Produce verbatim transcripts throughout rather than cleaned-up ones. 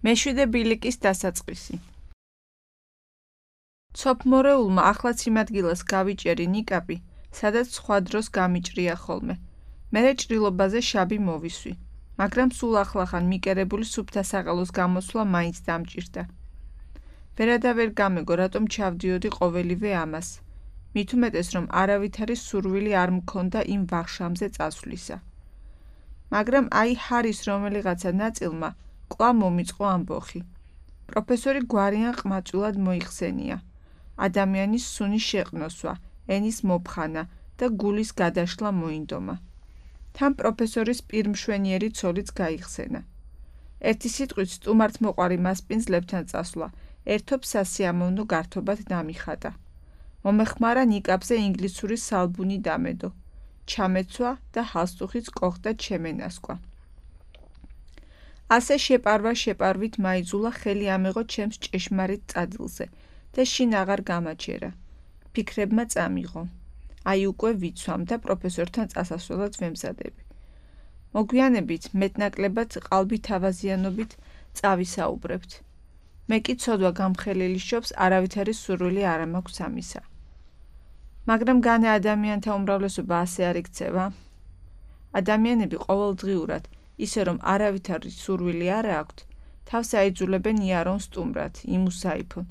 მეშვიდე ბილიკის დასაწყისი. ცოფმორეულმა ახლაც იმ ადგილას გავიჭერი ნიკაპი, სადაც სხვა დროს გამიჭრია ხოლმე. მერე ჭრილობაზე შაბი მოვისვი, მაგრამ სულ ახლახან მიკერებული სუფთა საყელოს გამოსვლა მაინც დამჭირდა. ვერადავერ გამეგო, რატომ ჩავდიოდი ყოველივე ამას. მით უმეტეს, რომ არავითარი სურვილი არ მქონდა იმ ვახშამზე წასვლისა. მაგრამ აი ჰარის რომელიღაცა ნაწილმა კვლავ მომიწყო ამბოხი. პროფესორი გვარიან ყმაწვილად მოიხსენია. ადამიანის სუნის შეყნოსვა, ენის მოფხანა და გულის გადაშლა მოინდომა. თან პროფესორის პირმშვენიერი ცოლიც გაიხსენა. ერთი სიტყვით სტუმართმოყვარი მასპინძლებთან წასვლა, ერთობ სასიამოვნო გართობად დამიხატა. მომეხმარა ნიკაპზე ინგლისური სალბუნი დამედო. ჩამეცვა და ჰალსტუხიც კოხდა ჩემენასკვა. ასე შეპარვა შეპარვით მაიძულა ხელი ამეღო ჩემს ჭეშმარიტ წადილზე და შინ აღარ გამაჩერა. ფიქრებმა წამიღო. აი უკვე ვიცვამ და პროფესორთან წასასვლელად ვემზადები. მოგვიანებით მეტნაკლებად ყალბითავაზიანობით წავისაუბრებთ. მე კი ცოდვა გამხელილი შობს არავითარი სურვილი არ მაქვს ამისა. მაგრამ განა ადამიანთა უმრავლესობა ასე არ იქცევა. ადამიანები ყოველდღიურად, ისე რომ არავითარი სურვილი არ აქვთ, თავს აიძულებენ იარონ სტუმრად, იმუსაიფონ,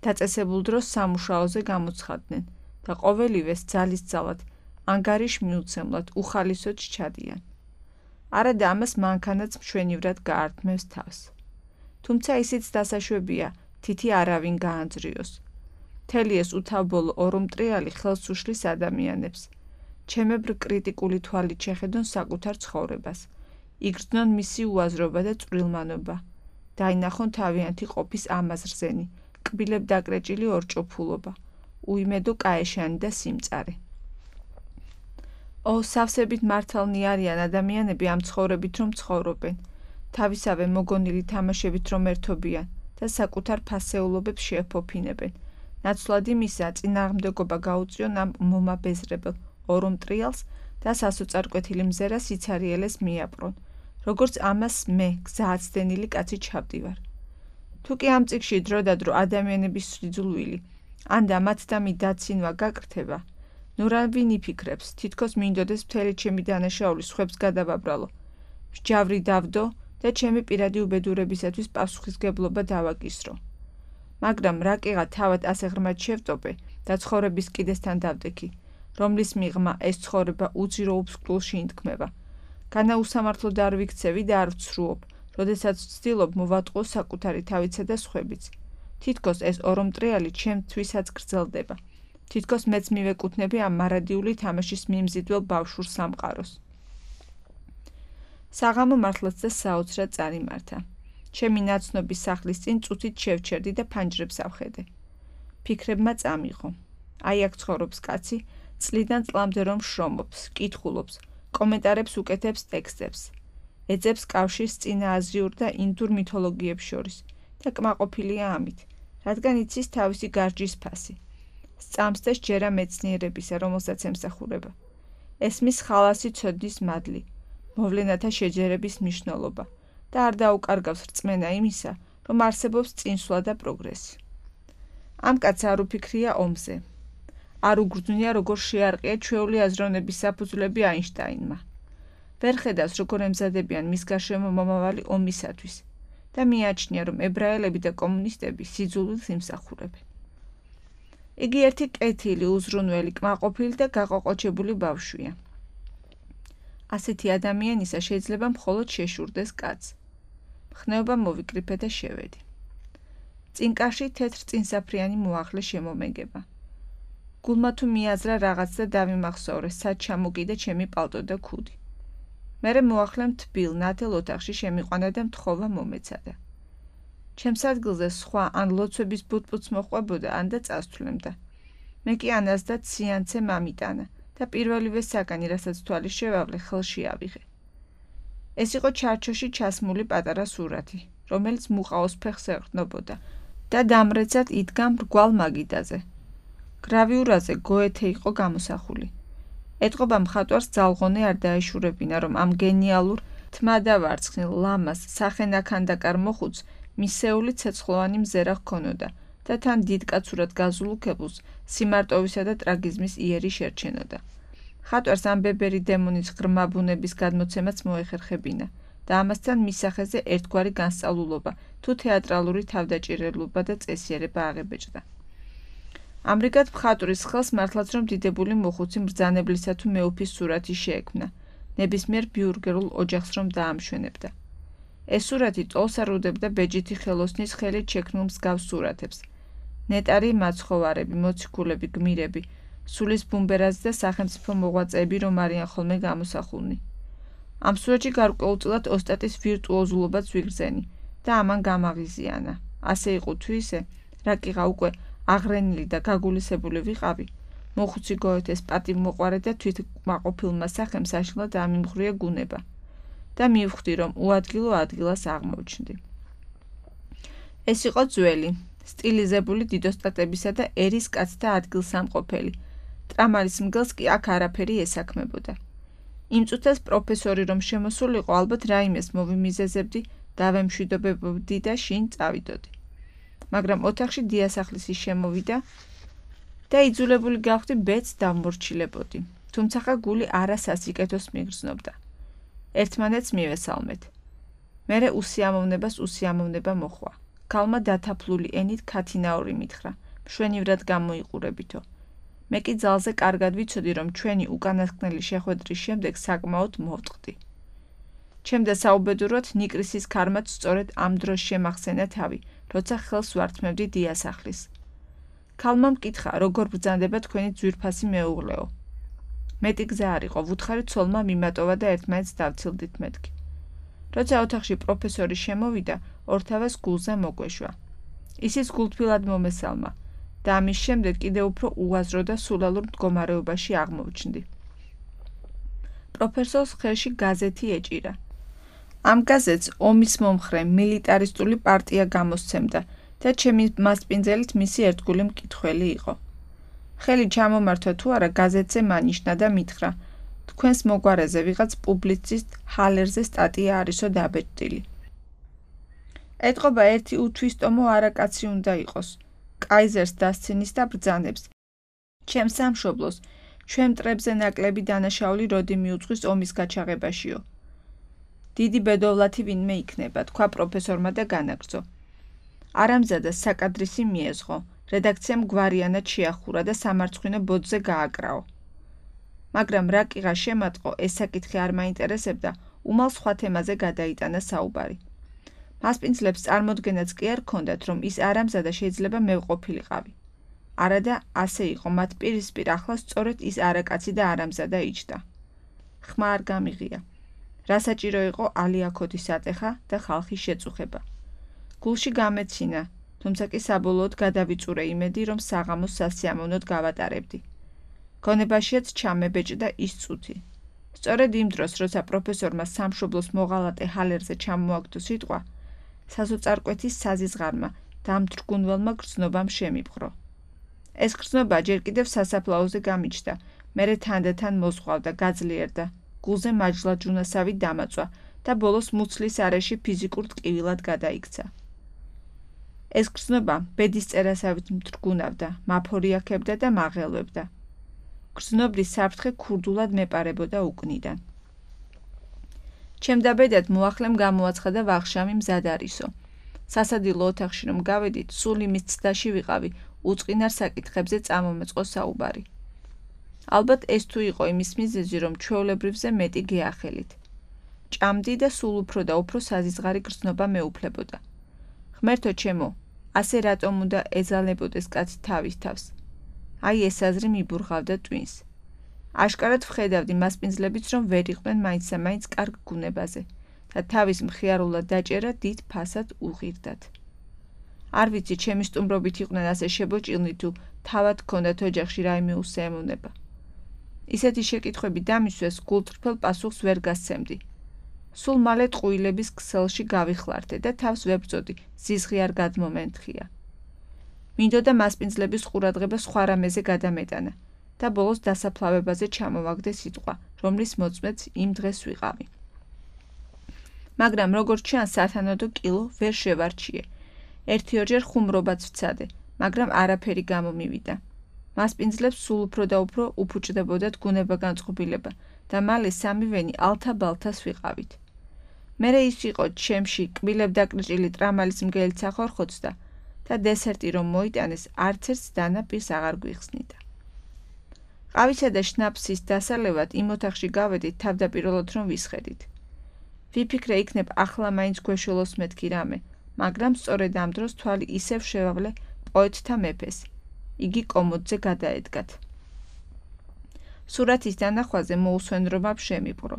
დაწესებულ დროს სამუშაოზე გამოცხადდნენ და ყოველივეს ძალისძალად, ანგარიშ მიუცემლად, უხალისოდ ჩადიან. არადა ამას მანქანაც მშვენივრად გაართმევს თავს. თუმცა ისიც დასაშვებია, თითი არავინ გაანძრიოს. მთელი ეს უთავბოლო ორომტრიალი ხელს უშლის ადამიანებს. ჩემებრ კრიტიკული თვალით შეხედონ საკუთარ ცხოვრებას. იგრძნონ მისი უაზრობა და წვრილმანობა. დაინახონ თავიანთი ყოფის ამაზრზენი, კბილებ დაკრეჭილი ორჭოფულობა, უიმედო კაეშანი და სიმწარე. ო, სავსებით მართალნი არიან ადამიანები ამ ცხოვრებით რომ ცხოვრობენ, თავისავე მოგონილი თამაშებით რომ ერთობიან და საკუთარ ფასეულობებს შეეფოფინებენ. ნაცვლად იმისა, წინააღმდეგობა გაუწიონ ამ მომაბეზრებელ ორომტრიალს და სასოწარკვეთილი მზერა სიცარიელეს მიაპყრონ, როგორც ამას მე, გზააცდენილი კაცი ჩავდივარ. თუ კი ამ წიგში დროდადრო ადამიანების სიძულვილი, ანდა მათ და მიდაცინვა გაკრთება, ნუ რა ვინ იფიქრებს, თითქოს მინდოდეს მთელი ჩემი დანაშაული სხვებს გადავაბრალო, მსჯავრი დავდო და ჩემი პირადი უბედურებისათვის პასუხისგებლობა დავაკისრო. მაგრამ რა კიღა თავად ასე ღრმად შევტოპე და ცხოვრების კიდესთან დავდექი, რომლის მიღმა ეს ცხოვრება უძირო უბსკულში ინთქმება. განა უსამართლოდ არ ვიქცევი და არ ვცრუობ, როდესაც ვცდილობ მოვატყო საკუთარი თავიცა და სხვებიც. თითქოს ეს ორომტრიალი ჩემთვისაც გრძელდება. თითქოს მეც მივეკუთვნები ამ მარადიული თამაშის მიმზიდველ ბავშვურ სამყაროს. საღამო მართლაც და საოცრად წარიმართა. ჩემი ნაცნობის სახლის წინ წუთით შევჩერდი და ფანჯრებს ავხედე. ფიქრებმა წამიღო. აი აქ ცხოვრობს კაცი, წლიდან წლამდე რომ შრომობს, კითხულობს, კომენტარებს უკეთებს ტექსტებს. ეძებს კავშირს წინააზიურ და ინდურ მითოლოგიებს შორის და კმაყოფილია ამით, რადგან იცის თავისი გარჯის ფასი. სწამს და სჯერა მეცნიერებისა, რომელსაც ემსახურება. ესმის ხალასი ცოდნის მადლი, მოვლენათა შეჯერების მნიშვნელობა და არ დაუკარგავს რწმენა იმისა, რომ არსებობს წინსვლა და პროგრესი. ამ კაცს არ უფიქრია ომზე. არ უგრძნია, როგორ შეარყია ჩვეული აზროვნების საფუძვლები აინშტაინმა. ვერ ხედავს, როგორ ემზადებიან მის გარშემო მომავალი ომისათვის და მიაჩნია, რომ ებრაელები და კომუნისტები სიძულვილს იმსახურებენ. იგი ერთი კეთილი, უზრუნველი, კმაყოფილი და გაყოყოჩებული ბავშვია. ასეთი ადამიანისა შეიძლება მხოლოდ შეშურდეს კაცს. მხნეობა მოვიკრიფე და შევედი. წინკაში თეთრ წინსაფრიანი მოახლე შემომეგება. გულმა თუ მიაზრა რაღაც და დავიმახსოვრე, სად ჩამოგიდა ჩემი პალტო და ქუდი. მერე მოახლემ თბილ, ნათელ ოთახში შემიყვანა და მთხოვა მომეცადა. ჩემს ადგილზე სხვა ან ლოცვების ბუტბუts მოყვებოდა, ან და წასთვლემდა. მე კი ანას და ციანცე მამიტანა და პირველივე საგანი, რასაც თვალი შევავლე, ხელში ავიღე. ეს იყო ჩარჩოში ჩასმული პატარა სურათი, რომელიც მუყაოს ფეხს ეყრდნობოდა და დამრეცად იდგა მრგვალ მაგიდაზე. გრავიურაზე გოეთე იყო გამოსახული. ეტყობა მხატვარს ძალღონე არ დაეშურებინა, რომ ამ გენიალურ თმადავარცხნილ ლამას სახენაქანდაკარ მოხუც მისეული ცეცხლოვანი მზერა ჰქონოდა და თან დიდკაცურად გაზულ უქებულს სიმარტოვისა და ტრაგიზმის იერი შერჩენოდა. ხატვარს ამ ბებერი დემონის ღრმა ბუნების გადმოცემაც მოეხერხებინა და ამასთან მის სახეზე ერთგვარი განსწავლულობა თუ თეატრალური თავდაჭირებლობა და წესიერება აღებეჭდა. ამრიგად მხატვრის ხელს მართლაც რომ დიდებული მოხუცი მბრძანებლისა თუ მეუფის სურათი შეექმნა, ნებისმიერ ბიურგერულ ოჯახს რომ დაამშვენებდა. ეს სურათი ტოლს არუდებდა ბეჯითი ხელოსნის ხელით შექმნილ მსგავს სურათებს. ნეტარი მაცხოვარები, მოციქულები, გმირები, სულის ბუმბერაზი და სახელმწიფო მოღვაწეები რომ არიან ხოლმე გამოსახულნი. ამ სურათში გარკვეულწილად ოსტატის ვირტუოზულობაც ვიგრძენი და ამან გამაღიზიანა. ასე იყო თუ ისე, რაკიღა უკვე აღრენილი და გაგულისებული ვიყავი, მოხუცი გოეთეს პატივმოყვარე და თვითკმაყოფილმა სახელს საშინლად ამიმღვრია გუნება და მივხვდი, რომ უადგილო ადგილას აღმოჩნდი. ეს იყო ძველი, სტილიზებული დიდოსტატებისა და ერის კაცთა ადგილსამყოფელი. ტრამალის მგელს კი აქ არაფერი ესაქმებოდა. იმ წუთას პროფესორი რომ შემოსულიყო, ალბათ რაიმეს მოვიმიზეზებდი, დავემშვიდობებოდი და შინ წავიდოდი. მაგრამ ოთახში დიასახლისი შემოვიდა და იძულებული გავხდი ბედს დავმორჩილებოდი. თუმცა გული არა სასიკეთოს მიგრძნობდა. ერთმანეთს მივესალმეთ. მერე უსიამოვნებას უსიამოვნება მოხვა. ქალმა დათაფლული ენით ქათინაური მითხრა, მშვენივრად გამოიყურებითო. მე კი ძალზე კარგად ვიცოდი, რომ ჩვენი უკანასკნელი შეხვედრის შემდეგ საკმაოდ მოვწყდი. ჩემდა საუბედუროდ ნიკრისის ქარმაც სწორედ ამ დროს შემახსენა თავი, როცა ხელს ვართმევდი დიასახლის. ქალმა მკითხა, როგორ ბრძანდება თქვენი ძვირფასი მეუღლეო. მეტი გზა არ იყო, ვუთხარი ცოლმა მიმატოვა და ერთმანეთს დავცილდით მეთქი. როცა ოთახში პროფესორი შემოვიდა, ორთავეს გულზე მოგვეშვა. ისიც გულთბილად მომესალმა და ამის შემდეგ კიდევ უფრო უაზრო და სულალურ მდგომარეობაში აღმოჩნდი. პროფესორს ხელში გაზეთი ეჭირა. ამ გაზეთს ომის მომხრე მილიტარისტული პარტია გამოსცემდა და ჩემი მასპინძელით მისი ერთგული მკითხველი იყო. ხელი ჩამომართვა თუ არა გაზეთზე მანიშნა და მითხრა, თქვენს მოგვარეზე ვიღაც პუბლიცისტ ჰალერზე სტატია არისო დაბეჭდილი. ეტყობა ერთი უთვისტომო არაკაცი უნდა იყოს. კაიზერს დასცინის და ბრძანებს. ჩემ სამშობლოს, ჩვენ მტრებზე ნაკლები დანაშაული როდი მიუძღვის ომის გაჩაღებაშიო. დიდი ბედოვლათი ვინმე იქნება, თქვა პროფესორმა და განაგრძო. არამზადას საკადრისი მიეზღო, რედაქციამ გვარიანად შეახურა და სამარცხვინო ბოძზე გააკრაო. მაგრამ რა კიღა შემატყო, ეს საკითხი არ მაინტერესებდა, უმალ სხვა თემაზე გადაიტანა საუბარი. მასპინძლებს წარმოდგენაც კი არ ჰქონდათ, რომ ის არამზადა შეიძლება მევყოფილიყავი. არადა ასე იყო, მათ პირისპირ ახლა სწორედ ის არაკაცი და არამზადა იჯდა. ხმა არ გამიღია. რა საჭირო იყო ალიაქოთის ატეხა და ხალხის შეწუხება. გულში გამეცინა, თუმცა კი საბოლოოდ გადავიწურე იმედი, რომ საღამოს სასიამოვნოდ გავატარებდი. გონებაშიაც ჩამებეჭდა ის წუთი. სწორედ იმ დროს, როცა პროფესორმა სამშობლოს მოღალატე ჰალერზე ჩამოაგდო სიტყვა, საზოწარკვეთის საზიზღარმა დამთრგუნველმა გრძნობამ შემიბღრო. ეს გრძნობა ჯერ კიდევ სასაფლაოზე გამიჩნდა, მერე თანდათან მოზღვავდა, გაძლიერდა, გულზე მაჯლაჯუნასავი დამაწვა და ბოლოს მუცლის არეში ფიზიკურ ტკივილად გადაიქცა. ეს გრძნობა ბედის წერასავით მთრგუნავდა, მაფორიაქებდა და მაღელვებდა. გრძნობრის საფრთხე ქურდულად მეპარებოდა უკნიდან. ჩემდა ბედად მოახლემ გამოაცხადა ვახშამი მზად არისო. სასადილო ოთახში რომ გავედით, სულ იმის ცდაში ვიყავი, უწყინარ საკითხებზე წამომეწყო საუბარი. ალბათ ეს თუ იყო იმის მიზეზი, რომ ჩვეულებრივზე მეტი გეახელით. ჭამდი და სულ უფრო და უფრო საზიზღარი გრძნობა მეუფლებოდა. ღმერთო ჩემო, ასე რატომ უნდა ეძალებოდეს კაცი თავის თავს? აი ეს აზრი მიბურღავდა ტვინს. აშკარად ვხედავდი მასპინძლებიც, რომ ვერ იყვნენ მაინცსა-მაინც კარგ გუნებაზე და თავის მხიარულად დაჭერა დიდ ფასად უღირდათ. არ ვიცი, ჩემი სტუმრობით იყვნენ ასე შებოჭილნი თუ თავად ჰქონდათ ოჯახში რაიმე უსიამოვნება. ისეთი შეკითხვები დამისვეს გულწრფელ პასუხს ვერ გასცემდი. სულ მალე ტყუილების ქსელში გავიხლარდე და თავს ვებრძოდი, ზიზღი არ გადმომენთხია. მინდოდა მასპინძლების ყურადღება სხვა რამეზე გადამეტანა და ბოლოს დასაფლავებაზე ჩამოვაგდე სიტყვა, რომლის მოწმეც იმ დღეს ვიყავი. მაგრამ როგორც ჩანს, სათანადო კილო ვერ შევარჩიე ერთი-ორჯერ ხუმრობაც ვცადე, მაგრამ არაფერი გამომივიდა. მასპინძლებს სულ უფრო და უფრო უფუჭდებოდათ გუნება განწყობილება და მალე სამივენი ალთა-ბალთას ვიყავით. მერე ის იყო ჩემში კბილებ დაკრჭილი ტრამალის მგელი სახორხოცდა და დესერტი რომ მოიტანეს, არც ერთს დანა პირს აღარ გვიხსნიდა. ყავისა და შნაფსის დასალევად იმ ოთახში გავედით თავდაპირველად რომ ვისხედით. ვიფიქრე იქნებ ახლა მაინც გვეშველოს მეთქი რამე, მაგრამ სწორედ ამ დროს თვალი ისევ შევავლე პოეტთა მეფეს. იგი კომოდზე გადაედგათ. სურათის დანახვაზე მოусვენრობა შემიპყრო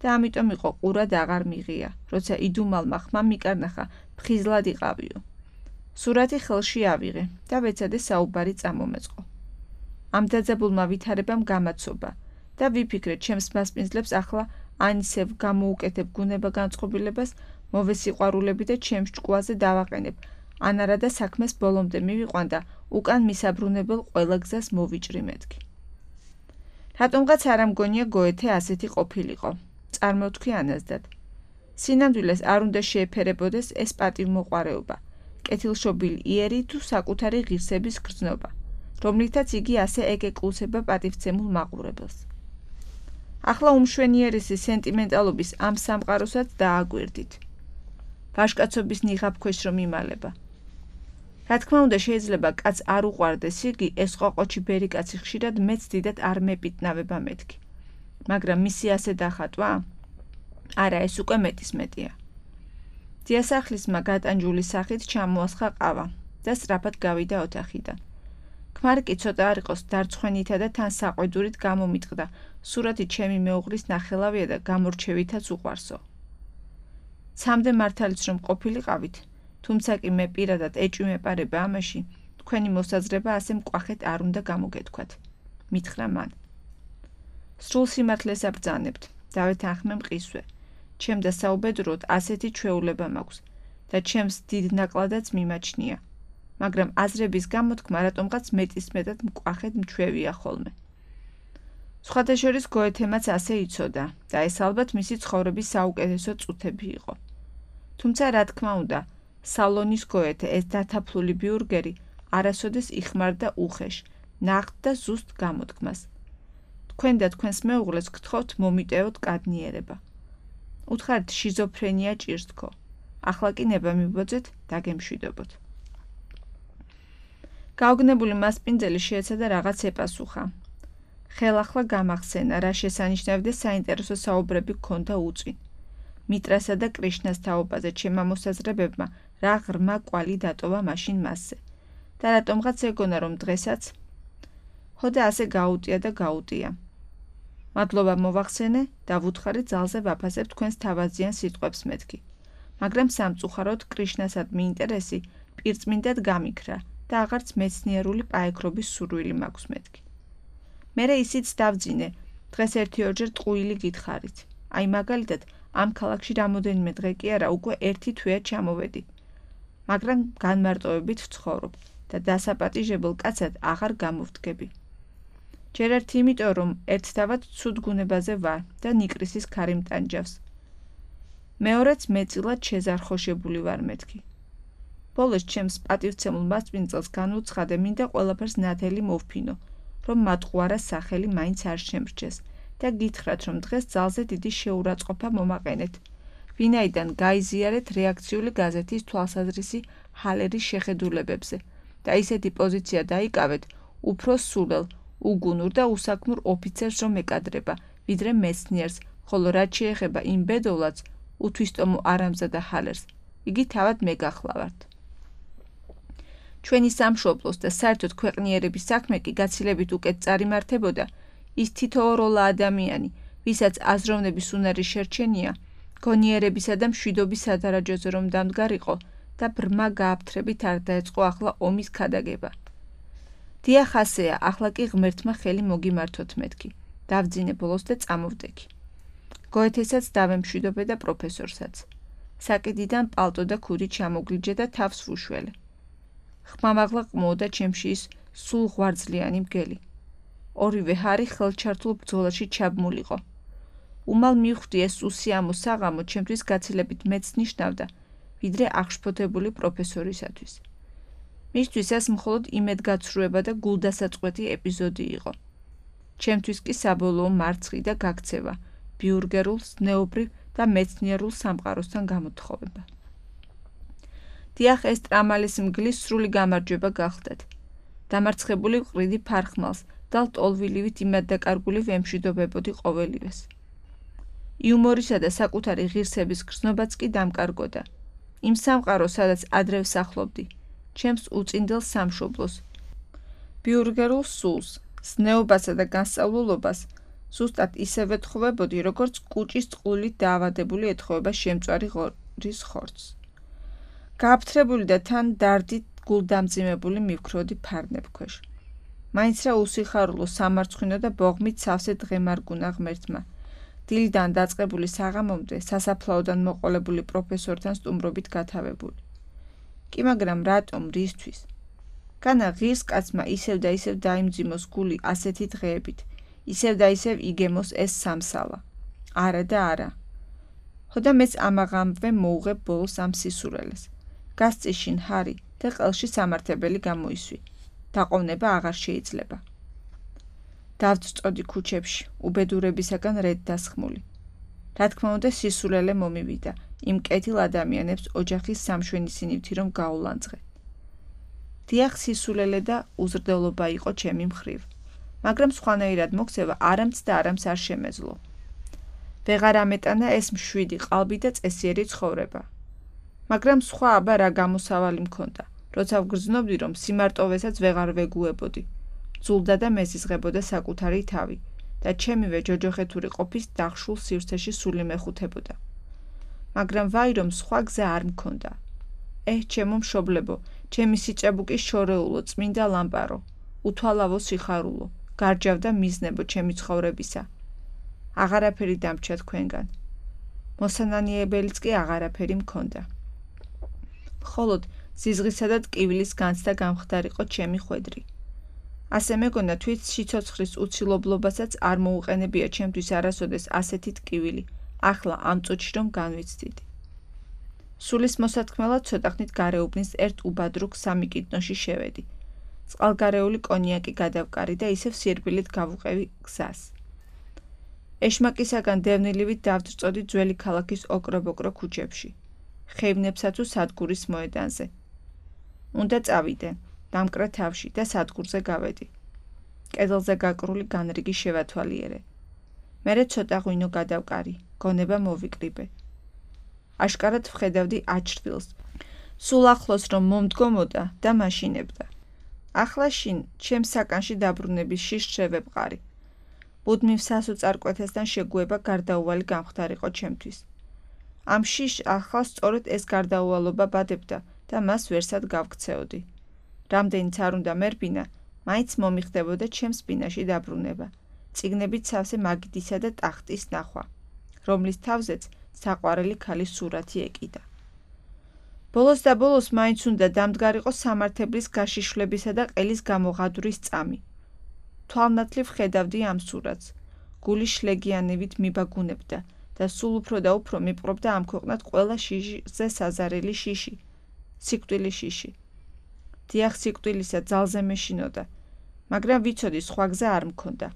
და ამიტომ იყო ყურად აღარ მიღია, როცა იდუმალმა ხმამ მიკარნახა ფხიზლად იყავიო. სურათი ხელში ავიღე და ვეცადე საუბარი წამომეწყო. ამ დაძაბულმა ვითარებამ გამაცობა და ვიფიქრე ჩემს მასპინძლებს ახლა ან ისევ გამოუკეთებ გუნება განწყობილებას, მოვესიყვარულები და ჩემს ჭკუაზე დავაყენებ, ან არა და საქმეს ბოლომდე მივიყვან და უკან მისაბრუნებელ ყველა გზას მოვიჭრი მეთქი. რატომღაც არ ამგონია გოეთე ასეთი ყოფილიყო. წარმოვთქვი ანაზდად. სინამდვილეს არ უნდა შეეფერებოდეს ეს პატივმოყვარეობა, კეთილშობილი იერი თუ საკუთარი ღირსების გრძნობა, რომლითაც იგი ასე ეკეკლუსება პატივცემულ მაყურებელს. ახლა უმშვენიერესი სენტიმენტალობის ამ სამყაროსაც დააგვირდით. ვაჟკაცობის ნიღაბქვეშ რომ იმალება. რა თქმა უნდა შეიძლება კაც არ უყვარდეს იგი, ეს ყოყოჩი ბერი კაცი ხშირად მეც დიდად არ მეპიტნავება მეთქი. მაგრამ მისი ასე დახატვა? არა, ეს უკვე მეტის მეტია. დიასახლისმა გატანჯული სახით ჩამოასხა ყავა და სწრაფად გავიდა ოთახიდან. ქმარი კი ცოტა არ იყოს დარცხვენითა და თან საყვედურით გამომიტყდა, სურათი ჩემი მეუღლის ნახელავია და გამორჩევითაც უყვარსო. ცამდე მართალიც რომ ყოფილიყავით, თუმცა კი მე პირადად ეჭვი მეპარება ამაში, თქვენი მოსაზრება ასე მკვახეთ არ უნდა გამოგეთქვათ. მითხრა მან. სრულ სიმართლეს აბრძანებთ, დავეთანხმე მყისვე. ჩემ და საუბედუროდ ასეთი ჩვეულება მაქვს და ჩემს დიდ ნაკლადაც მიმაჩნია, მაგრამ აზრების გამოთქმა რატომღაც მეტისმეტად მკვახეთ მჩვევია ხოლმე. სხვათა შორის გოეთემაც ასე იცოდა და ეს ალბათ მისი ცხოვრების საუკეთესო წუთები იყო. თუმცა რა თქმა უნდა, სალონის გოეთე ეს დათაფლული ბიურგერი არასოდეს იხმარდა უხეშ, ნაღდ და ზუსტ გამოთქმას. თქვენ და თქვენს მეუღლეს გთხოვთ მომიტევოთ კადნიერება. უთხარით შიზოფრენია ჭირს თქო. ახლა კი ნება მიბოძეთ, დაგემშვიდობოთ. გაოგნებული მასპინძელი შეეცადა რაღაც ეპასუხა. ხელახლა გამახსენა, რა შესანიშნავი და საინტერესო საუბრები ჰქონდა უწინ. მიტრასა და კრიშნას თაობაზე ჩემმა მოსაზრებებმა რა ღრმა კვალი დატოვა მაშინ მასზე. და რატომღაც ეგონა რომ დღესაც ხოდა ასე გაუტია და გაუტია. მადლობა მოვახსენე და ვუთხარი ძალზე ვაფასებ თქვენს თავაზიან სიტყვებს მეთქი. მაგრამ სამწუხაროდ კრიშნასადმი ინტერესი პირწმინდად გამიქრა და აღარც მეცნიერული პაექრობის სურვილი მაქვს მეთქი. მერე ისიც დავძინე, დღეს ერთი-ორჯერ ტყუილი გითხარით. აი მაგალითად, ამ ქალაქში რამოდენიმე დღე კი არა, უკვე ერთი თვეა ჩამოვედი. მაგრამ განმარტოებით ვცხოვრობ და დასაპატიჟებელ კაცად აღარ გამოვდგები. ჯერ ერთი იმიტომ, რომ ერთდავად ცუდ გუნებაზე ვარ და ნიკრისის ქარი მტანჯავს. მეორეც მეწილად შეზარხოშებული ვარ მეთქი. ბოლოს ჩემს პატივცემულ მასპინძელს განუცხადე, მინდა ყველაფერს ნათელი მოვფინო, რომ მატყუარას სახელი მაინც არ შემრჩეს და გითხრათ, რომ დღეს ძალზე დიდი შეურაცხყოფა მომაყენეთ, ვინაიდან გაიზიარეთ რეაქციული გაზეთის თვალსაზრისი ჰალერის შეხედულებებზე და ისეთი პოზიცია დაიკავეთ, უფრო სულელ, უგუნურ და უსაქმურ ოფიცერს რომ ეკადრება, ვიდრე მეცნიერს, ხოლო რაც შეეხება იმ ბედოვლადს, უთვისტომო არამზადა ჰალერს, იგი თავად მე გახლავართ. ჩვენი სამშობლოს და საერთოდ ქვეყნიერების საქმე კი გაცილებით უკეთ წარიმართებოდა, ის თითოეულა ადამიანი, ვისაც აზროვნების უნარი შერჩენია, გონიერებისა და მშვიდობის სადარაჯოზე რომ დამდგარიყო და ბრმა გააფთრებით არ დაეწყო ახლა ომის ქადაგება. დიახ ასეა, ახლა კი ღმერთმა ხელი მოგიმართოთ მეთქი. დავძინე ბოლოს და წამოვდექი. გოეთესაც დავემშვიდობე და პროფესორსაც. საკიდიდან პალტო და ქუდი ჩამოგლიჯე და თავს ვუშველე. ხმამაღლა ყმოდა ჩემში ის სულ ღვარძლიანი მგელი. ორივე ჰარი ხელჩართულ ბრძოლაში ჩაბმულიყო. უმალ მივხვდი ეს უსიამო საღამო ჩემთვის გაცილებით მეც ნიშნავდა, ვიდრე აღშფოთებული პროფესორისათვის. მისთვის ეს მხოლოდ იმედგაცრუება და გულდასაწყვეტი ეპიზოდი იყო. ჩემთვის კი საბოლოო მარცხი და გაქცევა, ბიურგერულ, ზნეობრივ და მეცნიერულ სამყაროსთან გამოთხოვება. დიახ, ეს ტრამალის მგლის სრული გამარჯვება გახლდათ. დამარცხებული ვყრიდი ფარხმალს და ლტოლვილივით იმეddაკარგული ვემშვიდობებოდი ყოველივეს. იუმორისა და საკუთარი ღირსების გრძნობაც კი დამკარგოდა. იმ სამყაროს, სადაც ადრე ვსახლობდი, ჩემს უწინდელ სამშობლოს, ბიურგერულ სულს, ზნეობასა და განსწავლულობას, ზუსტად ისევ ეთხოვებოდი, როგორც კუჭის წყლულით დაავადებული ეთხოვება შემწვარი ღორის ხორცს. გააფთრებული და თან დარდით გულდამძიმებული მივქროდი ფარნებ ქვეშ. მაინც რა უსიხარულო, სამარცხვინო და ბოღმით სავსე დღემარგუნა ღმერთმა. დილიდან დაწყებული საღამომდე სასაფლაოდან მოყოლებული პროფესორთან სტუმრობით გათავებული. კი მაგრამ რატომ, რისთვის? განა ღირს კაცმა ისევ და ისევ დაიმძიმოს გული ასეთი დღეებით, ისევ და ისევ იგემოს ეს სამსალა. არა და არა. ხოდა მეც ამაღამვე მოუღებ ბოლოს ამ სისურელეს. გასწიშინ ჰარი და ყელში სამართებელი გამოისვი. დაყოვნება აღარ შეიძლება. დავწწოდი ქუჩებში, უბედურებისაგან რედ დასხმული. რა თქმა უნდა, სისულელე მომივიდა, იმ კეთილ ადამიანებს ოჯახის სამშვენისინივთი რომ გაულანძღე. დიახ, სისულელე და უზრდელობა იყო ჩემი მხრივ, მაგრამ სხვანაირად მოქცევა არამც და არამც არ შემეძლო. ვეღარ ამეტანა ეს მშვიდი ყალბი და წესიერი ცხოვრება. მაგრამ სხვა აბა რა გამოსავალი მქონდა, როცა ვგრძნობდი, რომ სიმარტოვესაც ვეღარ ვეგუებოდი. ძულდა და მეზიზღებოდა საკუთარი თავი და ჩემივე ჯოჯოხეთური ყოფის დახშულ სივრცეში სული მეხუთებოდა. მაგრამ ვაი რომ სხვა გზა არ მქონდა. ეჰ, ჩემო მშობლებო, ჩემი სიჭაბუკის შორეულო, წმინდა ლამპარო, უთვალავო სიხარულო, გარჯავდა მიზნებო ჩემი ცხოვრებისა. აღარაფერი დამრჩა თქვენგან. მოსანანიებელიც კი აღარაფერი მქონდა. მხოლოდ სიზღისა და ტკივილის განცდა გამხდარიყო ჩემი ხვედრი. ასე მეგონა თვით სიცოცხლის უცილობლობასაც არ მოუყენებია ჩემთვის არასოდეს ასეთი ტკივილი, ახლა ამ წუთში რომ განვიცდიდი. სულის მოსათქმელად ცოტახნით გარეუბნის ერთ უბადრუგ სამიკიდნოში შევედი. წყალგარეული კონიაკი გადავკარი და ისევ სირბილით გავუყევი გზას. ეშმაკისაგან დევნილივით დავწწოდი ძველი ქალაქის ოკრო-ბოკრო ქუჩებში, ხეივნებსა თუ სადგურის მოედანზე. უნდა წავიდე, დამკრა თავში და სადგურზე გავედი. კედელზე გაკრული განრიგი შევათვალიერე. მერე ცოტა ღვინო გადავკარი, გონება მოვიკრიბე. აშკარად ვხედავდი აჩრდილს, სულ ახლოს რომ მომდგომოდა და მაშინებდა. ახლა შინ ჩემს საკანში დაბრუნების შიშს შევებყარი. ბუდმივ სასოწარკვეთესთან შეგუება გარდაუვალი გამხდარიყო ჩემთვის. ამ შიშს ახლა სწორედ ეს გარდაუვალობა ბადებდა და მას ვერსად გავქცეოდი. რამდენიც არ უნდა მერბინა, მაინც მომიხდებოდა ჩემს ბინაში დაბრუნება, წიგნებით სავსე მაგიდისა და ტახტის ნახვა, რომლის თავზეც საყვარელი ქალის სურათი ეკიდა. ბოლოს და ბოლოს მაინც უნდა დამდგარიყო სამართებლის გაშიშვლებისა და ყელის გამოღადვრის წამი. თვალნათლივ ხედავდი ამ სურათს, გული შლეგიანებით მიბაგუნებდა და სულ უფრო და უფრო მიპყრობდა ამ ქვეყნად ყველა შიშზე საზარელი შიში, სიკვდილი შიში. დიახ, სიკვდილისა ძალზე მეშინოდა, მაგრამ ვიცოდი სხვა გზა არ მქონდა.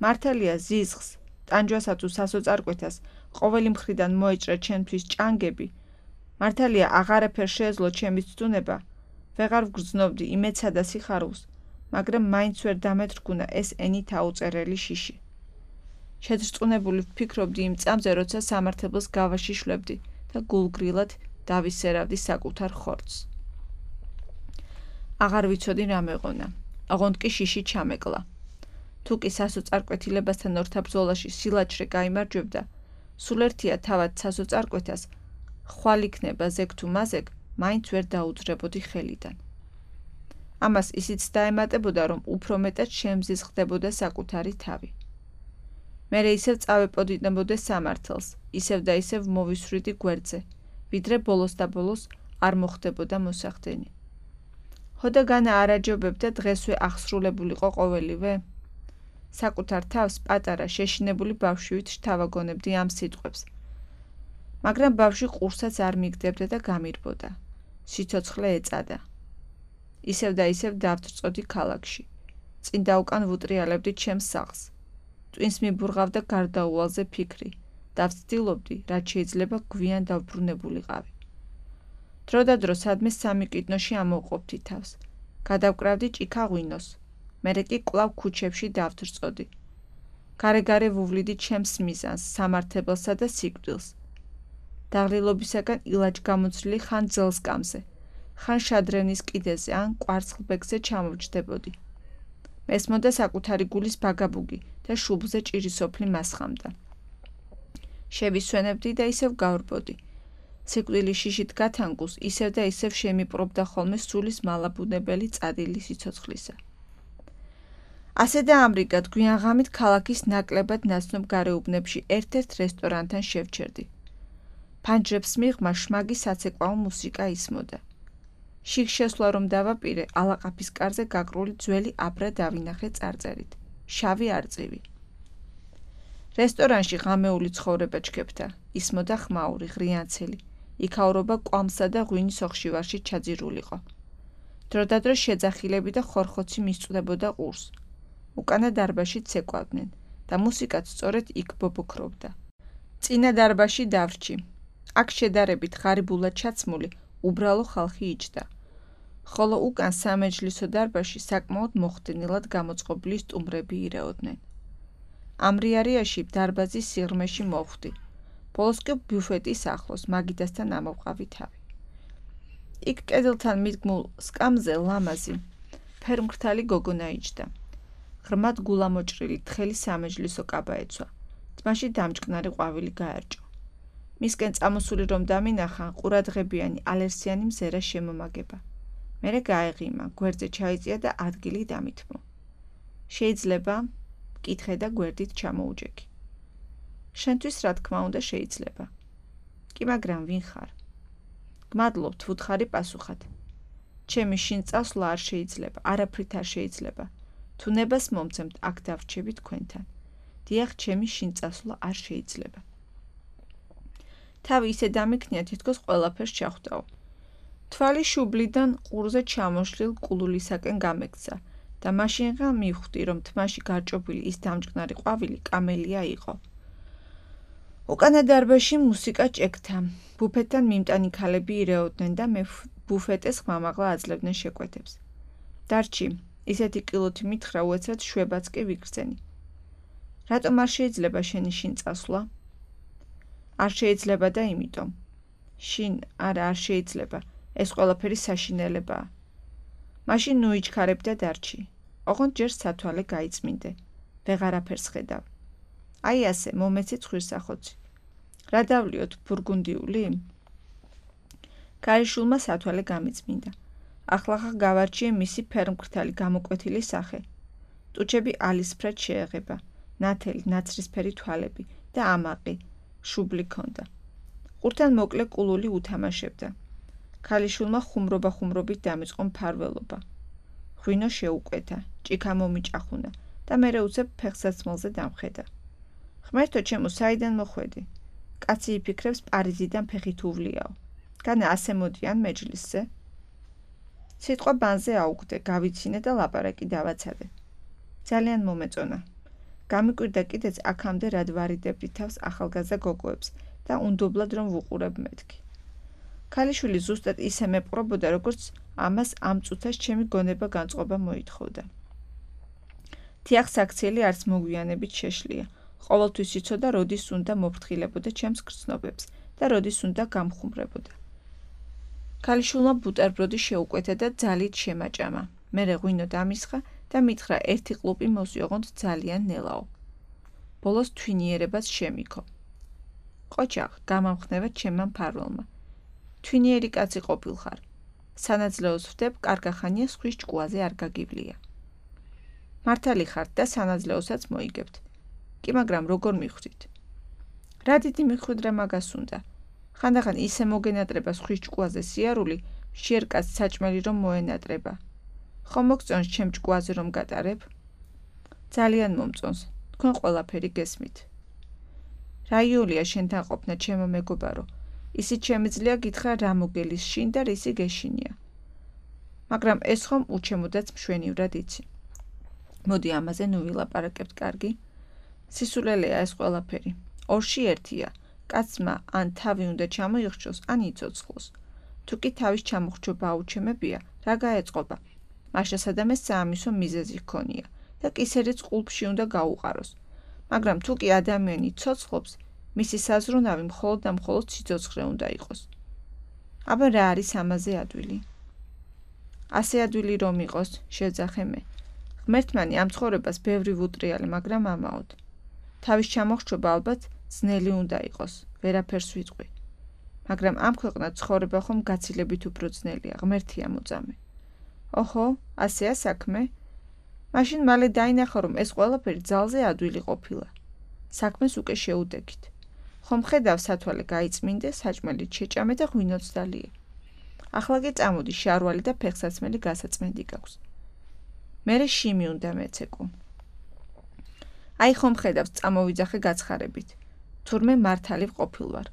მართალია ზიზღს, ტანჯვასა თუ სასოწარკვეთას ყოველი მხრიდან მოეჭრა ჩემთვის ჭანგები. მართალია აღარაფერ შეეძლო ჩემი ცდუნება, ვეღარ ვგრძნობდი იმედსა და სიხარულს, მაგრამ მაინც ვერ დამეთრგუნა ეს ენით აუწერელი შიში. შეძრწუნებული ვფიქრობდი იმ წამზე, როცა სამართებელს გავაშიშვლებდი და გულგრილად დავისერავდი საკუთარ ხორცს. აღარ ვიცოდი რა მეღონა, ოღონდ კი შიში ჩამეკლა. თუ კი სასოწარკვეთილებასთან ორთა ბრძოლაში სილაჩრე გაიმარჯვებდა, სულ ერთია თავად სასოწარკვეთას, ხვალ იქნება ზეგ თუ მაზეგ, მაინც ვერ დაუძრებოდი ხელიდან. ამას ისიც დაემატებოდა, რომ უფრო მეტად შემზიზღდებოდა საკუთარი თავი. მერე ისევ წავეპოდინებოდი სამართელს, ისევ და ისევ მოვისვრიდი გვერდზე, ვიდრე ბოლოს და ბოლოს არ მოხდებოდა მოსახდენი. ხოდა განა არაჯობებდა დღესვე აღსრულებულიყო ყოველივე? საკუთარ თავს პატარა შეშინებული ბავშვივით შთავაგონებდი ამ სიტყვებს. მაგრამ ბავშვი ყურსაც არ მიგდებდა და გამირბოდა. სიცოცხლე ეწადა. ისევ და ისევ დავწწოდი ქალაქში. წინ და უკან ვუტრიალებდი ჩემს სახლს. ტვინს მიბურღავდა გარდაუვალზე ფიქრი და ვცდილობდი, რაც შეიძლება გვიან დავბრუნებულიყავი. დრო და დრო სადმე სამი კიდნოში ამოვყოფდი თავს. გადავკრავდი ჭიქა ღვინოს. მერე კი კვლავ ქუჩებში დავთრწოდი. გარე-გარე ვუვლიდი ჩემს მიზანს, სამართებელსა და სიკვდილს. დაღლილობისაგან ილაჯგამოცლილი ხან ძელსკამზე, ხან შადრევნის კიდეზე ან კვარცხლბეკზე ჩამოვჯდებოდი. მესმოდა საკუთარი გულის ბაგაბუგი და შუბლზე ჭირისოფლი მასხამდა. შევისვენებდი და ისევ გავრბოდი. სიკვდილი შიშით გათანგულს ისევ და ისევ შემიპყრობდა ხოლმე სულის მალაბუნებელი წადილი სიცოცხლისა. ასე და ამრიგად გვიან ღამით ქალაქის ნაკლებად ნაცნობ გარეუბნებში ერთ-ერთ რესტორანთან შევჩერდი. ფანჯრებს მიღმა შმაგი საცეკვაო მუსიკა ისმოდა. შიგ შესვლა რომ დავაპირე, ალაყაფის კარზე გაკრული ძველი აბრა დავინახე წარწერით. შავი არწივი. რესტორანში ღამეული ცხოვრება ჩქეფთა, ისმოდა ხმაური, ღრიანცელი. იქაურობა კვამსა და ღვინის ოხშივარში ჩაძირულიყო. დრო და დრო შეძახილები და ხორხოცი მისწვდებოდა ყურს. უკანა დარბაში ცეკვავდნენ და მუსიკაც სწორედ იქ ბობოქრობდა. წინა დარბაში დავრჩი. აქ შედარებით ღარიბულად ჩაცმული, უბრალო ხალხი იჯდა. ხოლო უკან სამეჯლისო დარბაში საკმაოდ მოხდენილად გამოწყობილი სტუმრები ირეოდნენ. ამრიარიაში დარბაზის სიღრმეში მოვხვდი. ბოლოს კი ბუფეტის ახლოს მაგიდასთან ამოვყავი თავი. იქ კედელთან მიდგმულ სკამზე ლამაზი, ფერმკრთალი გოგონა იჯდა. ღრმად გულამოჭრილი თხელი სამეჯლისო კაბა ეცვა. თმაში დამჭკნარი ყვავილი გაერჭო. მისკენ წამოსული რომ დამინახა, ყურადღებიანი ალერსიანი მზერა შემომაგება. მერე გაეღიმა, გვერდზე ჩაიწია და ადგილი დამითმო. შეიძლება? კითხე და გვერდით ჩამოუჯექი. შენთვის რა თქმა უნდა შეიძლება. კი მაგრამ ვინ ხარ? გმადლობთ, ვუთხარი პასუხად. ჩემი შინ წასვლა არ შეიძლება, არაფრით არ შეიძლება. თუ ნებას მომცემთ, აქ დავრჩები თქვენთან. დიახ, ჩემი შინ წასვლა არ შეიძლება. თავი ისე დამიქნია, თითქოს ყველაფერს ჩახვდაო. თვალი შუბლიდან ყურზე ჩამოშლილ კულულისაკენ გამექცა და მაშინღა მივხვდი, რომ თმაში გარჭობილი ის დამჭკნარი ყვავილი კამელია იყო. უკანა დარბაზში მუსიკა ჭექთა. ბუფეტთან მიმტანი ქალები ირეოდნენ და მე ბუფეტეს ხმამაღლა აძლევდნენ შეკვეთებს. დარჩი, ისეთი კილოთი მითხრა, უეცრად შვებაც კი ვიგრძენი. რატომ არ შეიძლება შენი შინ წასვლა? არ შეიძლება და იმიტომ. შინ, არა, არ შეიძლება. ეს ყველაფერი საშინელებაა. მაშინ ნუ იჩქარებ და დარჩი. ოღონდ ჯერ სათვალე გაიწმინდე. ვეღარაფერს ხედავ. აი ასე, მომეცი ცხვირსახოცი. რა დავლიოთ, ბურგუნდიული? ქარიშულმა სათვალე გამიწმინდა. ახლახა გავარჩიე მისი ფერმკრთალი გამოკვეთილი სახე. ტუჩები ალისფრად შეეღება, ნათელი, ნაცრისფერი თვალები და ამაყი, შუბლი ქონდა. ყურთან მოკლე კულული უთამაშებდა. ქალიშულმა ხუმრობა-ხუმრობით დამიწყო მფარველობა. ღვინო შეუკვეთა, ჭიქა მომიჭახუნა და მერე უცებ ფეხსაცმელზე დამხედა. ღმერთო ჩემო, საიდან მოხვედი? კაცი იფიქრებს პარიზიდან ფეხით უვლიაო. განა ასე მოდიან მეჯლისზე? სიტყვა ბანზე აუგდე, გავიცინე და ლაპარაკი დავაცადე. ძალიან მომეწონა. გამიკვირდა კიდეც აქამდე რად ვარიდებდი თავს ახალგაზრდა გოგოებს და უნდობლად რომ ვუყურებ მეთქი. ქალიშვილი ზუსტად ისე მეპყრობოდა, როგორც ამას ამ წუთას ჩემი გონება განწყობა მოითხოვდა. თიახ საქციელი არც მოგვიანებით შეშლია. ყოველთვის იცოდა, როდის უნდა მოფრთხილებოდა ჩემს გრძნობებს და როდის უნდა გამხუმრებოდა. ქალიშვილმა ბუტერბროდი შეუკვეთა და ძალით შემაჭამა. მერე ღვინო დამისხა და მითხრა ერთი ყლუპი მოსიოღონდ ძალიან ნელაო. ბოლოს თვინიერებაც შემიქო. ყოჩაღ, გამამხნევა ჩემმა მფარველმა. თვინიერი კაცი ყოფილხარ. სანაძლეოს ვდებ, კარგახანია სხვის ჭკუაზე არ გაგივლია. მართალი ხართ და სანაძლეოსაც მოიგებთ. კი მაგრამ როგორ მიხვდით? რა დიდი მიხვედრა მაგას უნდა. ხანდახან ისე მოგენატრება სხვის ჭკუაზე სიარული, შიერ კაცს საჭმელი რომ მოენატრება. ხომ მოგწონს ჩემ ჭკუაზე რომ გატარებ? ძალიან მომწონს. თქვენ ყველაფერი გესმით. რა იოლია შენთან ყოფნა, ჩემო მეგობარო? ისიც შემიძლია გითხრა რა მოგელის შინ და რისი გეშინია. მაგრამ ეს ხომ უჩემოდაც მშვენივრად იცი. მოდი ამაზე ნუ ვილაპარაკებთ, კარგი? სისულელეა ეს ყველაფერი. ორში ერთია. კაცმა ან თავი უნდა ჩამოიხრჩოს, ან იცოცხლოს. თუ კი თავის ჩამოხრჩობა აუჩემებია, რა გაეწყობა? მაშა სადამეს საამისო მიზეზი ჰქონია და კისერიც ყულფში უნდა გაუყაროს. მაგრამ თუ კი ადამიანი ცოცხლობს, მისი საზრუნავი მხოლოდ და მხოლოდ სიცოცხლე უნდა იყოს. აბა რა არის ამაზე ადვილი? ასე ადვილი რომ იყოს, შეძახე მე. ღმერთმანი ამ ცხოვრებას ბევრი ვუტრიალე, მაგრამ ამაოდ. თავის ჩამოხრჩობა ალბათ ძნელი უნდა იყოს, ვერაფერს ვიტყვი. მაგრამ ამ ქვეყნად ცხოვრება ხომ გაცილებით უფრო ძნელია, ღმერთია მოწამე. ოჰო, ასეა საქმე? მაშინ მალე დაინახა, რომ ეს ყველაფერი ძალზე ადვილი ყოფილა. საქმეს უკვე შეუდექით. ხომ ხედავ სათვალე გაიწმინდე, საჭმელით შეჭამე და ღვინოც დალიე. ახლა კი წამოდი, შარვალი და ფეხსაცმელი გასაწმენდი გაქვს. მერე შიმი უნდა მეცეკო. აი ხომ ხედავს, წამოვიძახე გაცხარებით. თურმე მართალი ვყოფილვარ.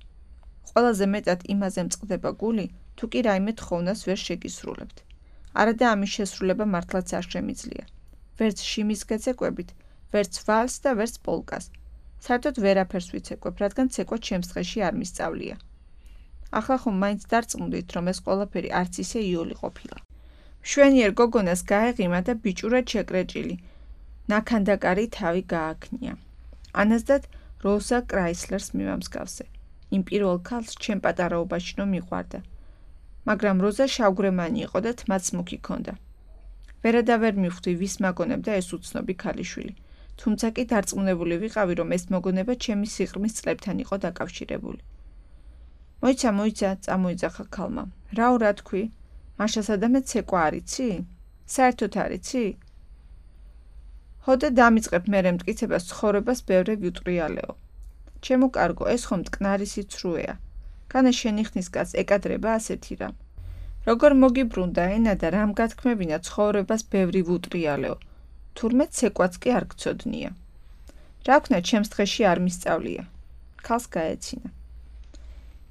ყველაზე მეტად იმაზე მწყდება გული, თუ კი რაიმე თხოვნას ვერ შეგისრულებთ. არადა ამის შესრულება მართლაც არ შემიძლია. ვერც შიმის გეცეკვებით, ვერც ვალს და ვერც პოლკას. საერთოდ ვერაფერს ვიცეკვებ, რადგან ცეკვა ჩემს დღეში არ მისწავლია. ახლა ხომ მაინც დარწმუნდით, რომ ეს ყველაფერი არც ისე იოლი ყოფილა. მშვენიერ გოგონას გაეღიმა და ბიჭურად შეკრეჭილი, ნაქანდაკარი თავი გააქნია. ანაზდად როზა კრაისლერს მივამსგავსე. იმ პირველ ქალს ჩემ პატარაობაში რომ მიყვარდა. მაგრამ როზა შავგრემანი იყო და თმაც მუქი ჰქონდა. ვერადა ვერ მივხვდი, ვის მაგონებდა ეს უცნობი ქალიშვილი. თუმცა კი დარწმუნებული ვიყავი, რომ ეს მოგონება ჩემი სიყრმის წლებთან იყო დაკავშირებული. მოიცა, მოიცა, წამოიძახა ქალმა. რაო რა თქვი? მაშა სადამე ცეკვა არიცი? საერთოდ არიცი? ჰოდა დამიწყებ მერე მტკიცებას ცხოვრებას ბევრე ვიუტრიალეო. ჩემო კარგო, ეს ხომ მტკნარი სიცრუეა. განა შენი ხნის კაც ეკადრება ასეთი რამ. როგორ მოგიბრუნდა ენა და რამ გათქმევინა ცხოვრებას ბევრი ვუტრიალეო. თურმე ცეკვაც კი არ გცოდნია. რა ვქნა ჩემს დღეში არ მისწავლია. ქალს გაეცინა.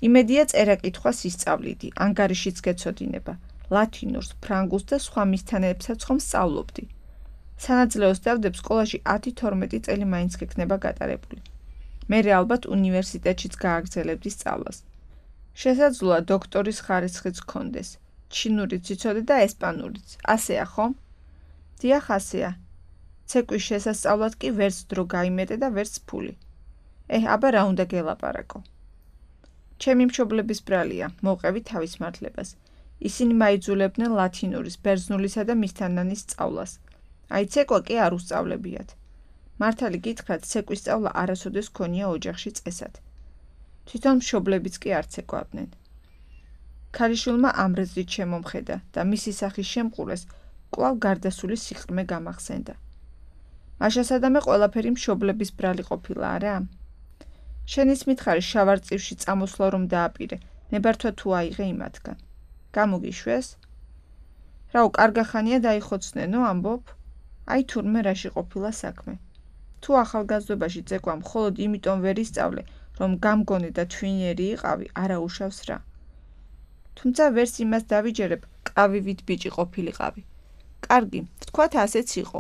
იმედია წერა კითხვას ისწავლიდი, ანგარიშიც გეცოდინება, ლათინურს, ფრანგულს და სხვა მისთანებსაც ხომ სწავლობდი. სანაძლეოს დავდებ სკოლაში ათი თორმეტი წელი მაინც გექნება გატარებული. მერე ალბათ უნივერსიტეტშიც გააგრძელებდი სწავლას. შესაძლოა დოქტორის ხარისხიც გქონდეს, ჩინურიც იცოდე და ესპანურიც. ასეა ხომ? დიახ, ასეა. ცეკვის შესასწავლად კი ვერც დრო გაიმეტე და ვერც ფული. ეჰ, აბა რა უნდა გელაპარაკო? ჩემი მშობლების ბრალია, მოვყევი თავის მართლებას. ისინი მაიძულებდნენ ლათინურის, ბერძნულისა და მისთანანის სწავლას. აი ცეკვა კი არ უსწავლებიათ. მართალი გითხრათ, ცეკვის სწავლა არასოდეს ქონია ოჯახში წესად. თვითონ მშობლებიც კი არ ცეკვავდნენ. ქალიშვილმა ამრეწრით შემომხედა და მისი სახის შემყურეს კვლავ გარდასული სიყრმე გამახსენდა. მაშა სადამე ყველაფერი მშობლების ბრალი ყოფილა, არა? შენის მითხარი შავარწივში წამოსვლა რომ დააპირე, ნებართვა თუ აიღე იმათგან. გამოგიშვეს? რაო, კარგახანია დაიხოცნენო, ამბობ? აი თურმე რაში ყოფილა საქმე. თუ ახალგაზრდობაში ცეკვა მხოლოდ იმიტომ ვერ ისწავლე, რომ გამგონე და თვინიერი იყავი, არა უშავს რა. თუმცა ვერც იმას დავიჯერებ, ყავივით ბიჭი ყოფილიყავი. კარგი, ვთქვათ ასეც იყო,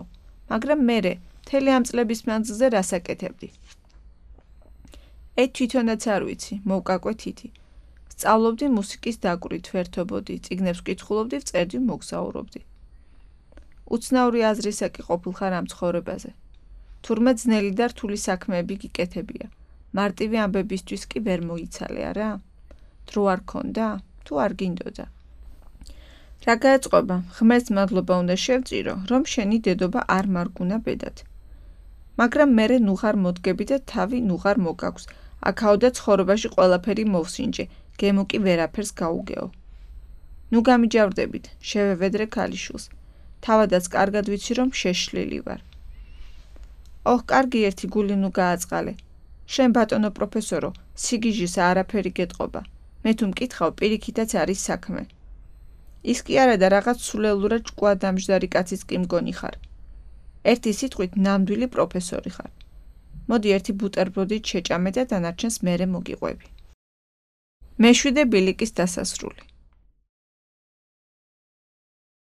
მაგრამ მერე მთელი ამ წლების მანძილზე რას აკეთებდი? ე თვითონაც არ ვიცი, მოვკაკვე თითი. სწავლობდი მუსიკის დაკვირვით, ვერთობოდი, წიგნებს ვკითხულობდი, ვწერდი, მოგზაურობდი. უცნაური აზრისაკი ყოფილხარ ამ ცხოვრებაზე. თურმე ძნელი და რთული საქმეები გიკეთებია. მარტივი ამბებისთვის კი ვერ მოიცალე, არა? დრო არ ქონდა? თუ არ გინდოდა? რა გაეწყობა? ღმერთს მადლობა უნდა შევწირო, რომ შენი დედობა არ მარგუნა ბედად. მაგრამ მერე ნუღარ მოდგები და თავი ნუღარ მოგაქვს. აქაოდა ცხოვრებაში ყველაფერი მოვსინჯე, გემო კი ვერაფერს გაუგეო. ნუ გამიჯავრდებით, შევევედრე ქალიშვილს. თავადაც კარგად ვიცი, რომ შეშლილი ვარ. ოჰ, კარგი ერთი გული ნუ გააწყალე. შენ ბატონო პროფესორო, სიგიჟის არაფერი გეტყობა. მე თუ მკითხავ, პირიქითაც არის საქმე. ის კი არა და რაღაც სულელურად ჭკუა დამჯდარი კაცის კი მგონი ხარ. ერთი სიტყვით ნამდვილი პროფესორი ხარ. მოდი ერთი ბუტერბროდით შეჭამე და დანარჩენს მერე მოგიყვები. მეშვიდე ბილიკის დასასრული.